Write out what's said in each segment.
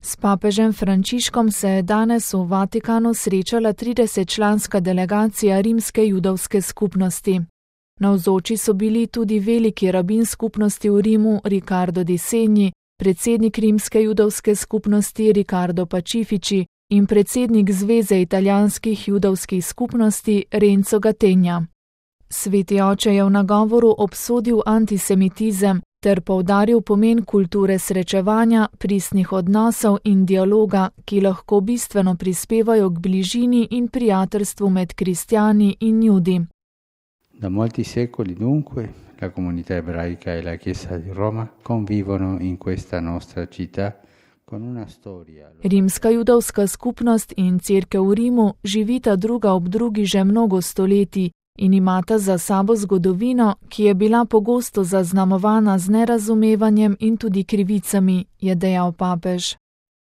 S papežem Frančiškom se je danes v Vatikanu srečala 30-članska delegacija rimske judovske skupnosti. Navzoči so bili tudi veliki rabin skupnosti v Rimu Riccardo Di Segni, predsednik rimske judovske skupnosti Riccardo Pacifici in predsednik Zveze italijanskih judovskih skupnosti Renzo Gattegna. Sveti oče je v nagovoru obsodil antisemitizem ter poudaril pomen kulture srečevanja, pristnih odnosov in dialoga, ki lahko bistveno prispevajo k bližini in prijateljstvu med kristjani in judi. Da molti secoli dunque la comunità ebraica e la Chiesa di Roma convivono in questa nostra città con una storia. Rimska judovska skupnost in cerkev v Rimu živita druga ob drugi že mnogo stoletij in imata za sabo zgodovino, ki je bila pogosto zaznamovana z nerazumevanjem in tudi krivicami, je dejal papež.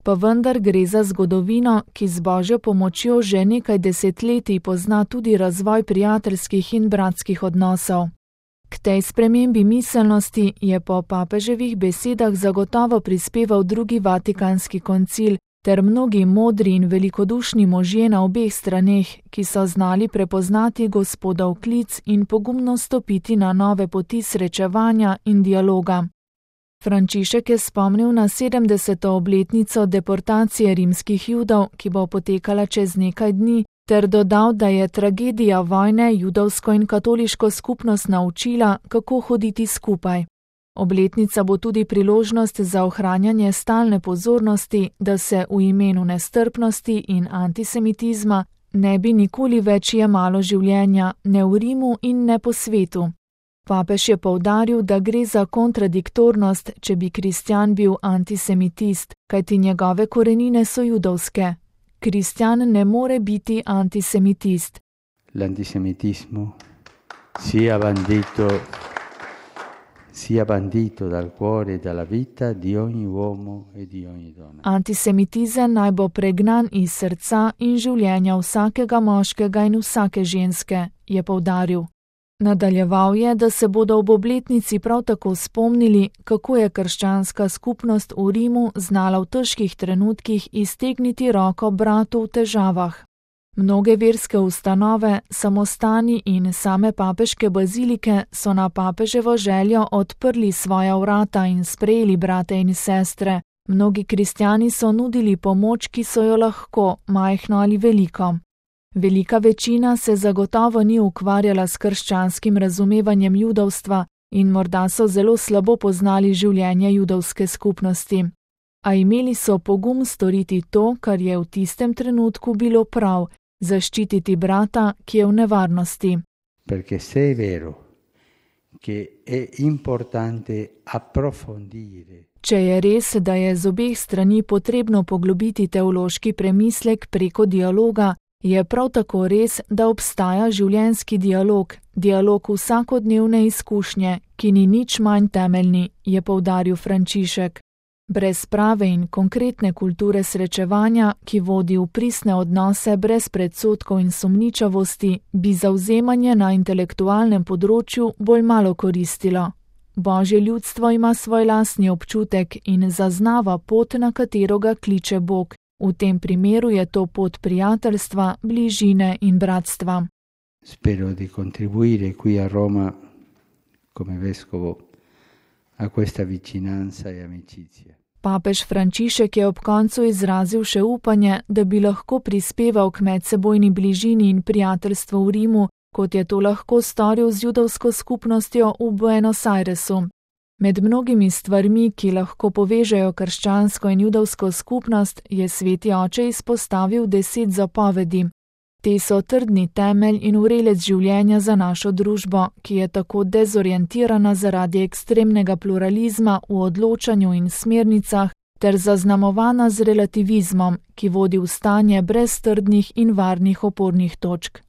Pa vendar gre za zgodovino, ki z Božjo pomočjo že nekaj desetletij pozna tudi razvoj prijateljskih in bratskih odnosov. K tej spremembi miselnosti je po papeževih besedah zagotovo prispeval drugi vatikanski koncil ter mnogi modri in velikodušni možje na obeh straneh, ki so znali prepoznati Gospodov klic in pogumno stopiti na nove poti srečevanja in dialoga. Frančišek je spomnil na 70. obletnico deportacije rimskih Judov, ki bo potekala čez nekaj dni, ter dodal, da je tragedija vojne judovsko in katoliško skupnost naučila, kako hoditi skupaj. Obletnica bo tudi priložnost za ohranjanje stalne pozornosti, da se v imenu nestrpnosti in antisemitizma ne bi nikoli več jemalo življenja, ne v Rimu in ne po svetu. Papež je poudaril, da gre za kontradiktornost, če bi kristjan bil antisemitist, kajti njegove korenine so judovske. Kristjan ne more biti antisemitist. L'antisemitismo sia bandito dal cuore e dalla vita di ogni uomo e di ogni donna. Antisemitizem naj bo pregnan iz srca in življenja vsakega moškega in vsake ženske, je poudaril. Nadaljeval je, da se bodo ob obletnici prav tako spomnili, kako je krščanska skupnost v Rimu znala v težkih trenutkih iztegniti roko bratu v težavah. Mnoge verske ustanove, samostani in same papeške bazilike so na papeževo željo odprli svoja vrata in sprejeli brate in sestre. Mnogi kristjani so nudili pomoč, ki so jo lahko, majhno ali veliko. Velika večina se zagotovo ni ukvarjala s krščanskim razumevanjem judovstva in morda so zelo slabo poznali življenje judovske skupnosti. A imeli so pogum storiti to, kar je v tistem trenutku bilo prav, zaščititi brata, ki je v nevarnosti. Perché se è vero che è importante approfondire. Če je res, da je z obeh strani potrebno poglobiti teološki premislek preko dialoga, je prav tako res, da obstaja življenjski dialog, dialog vsakodnevne izkušnje, ki ni nič manj temeljni, je poudaril Frančišek. Brez prave in konkretne kulture srečevanja, ki vodi v pristne odnose brez predsodkov in sumničavosti, bi zavzemanje na intelektualnem področju bolj malo koristilo. Božje ljudstvo ima svoj lastni občutek in zaznava pot, na katero ga kliče Bog. V tem primeru je to pot prijateljstva, bližine in bratstva. Spero di contribuire qui a Roma come vescovo a questa vicinanza e amicizia. Papež Frančišek je ob koncu izrazil še upanje, da bi lahko prispeval k medsebojni bližini in prijateljstvu v Rimu, kot je to lahko storil z judovsko skupnostjo v Buenos Airesu. Med mnogimi stvarmi, ki lahko povežejo krščansko in judovsko skupnost, je sveti oče izpostavil 10 zapovedi. Te so trdni temelj in vrelec življenja za našo družbo, ki je tako dezorientirana zaradi ekstremnega pluralizma v odločanju in smernicah, ter zaznamovana z relativizmom, ki vodi v stanje brez trdnih in varnih opornih točk.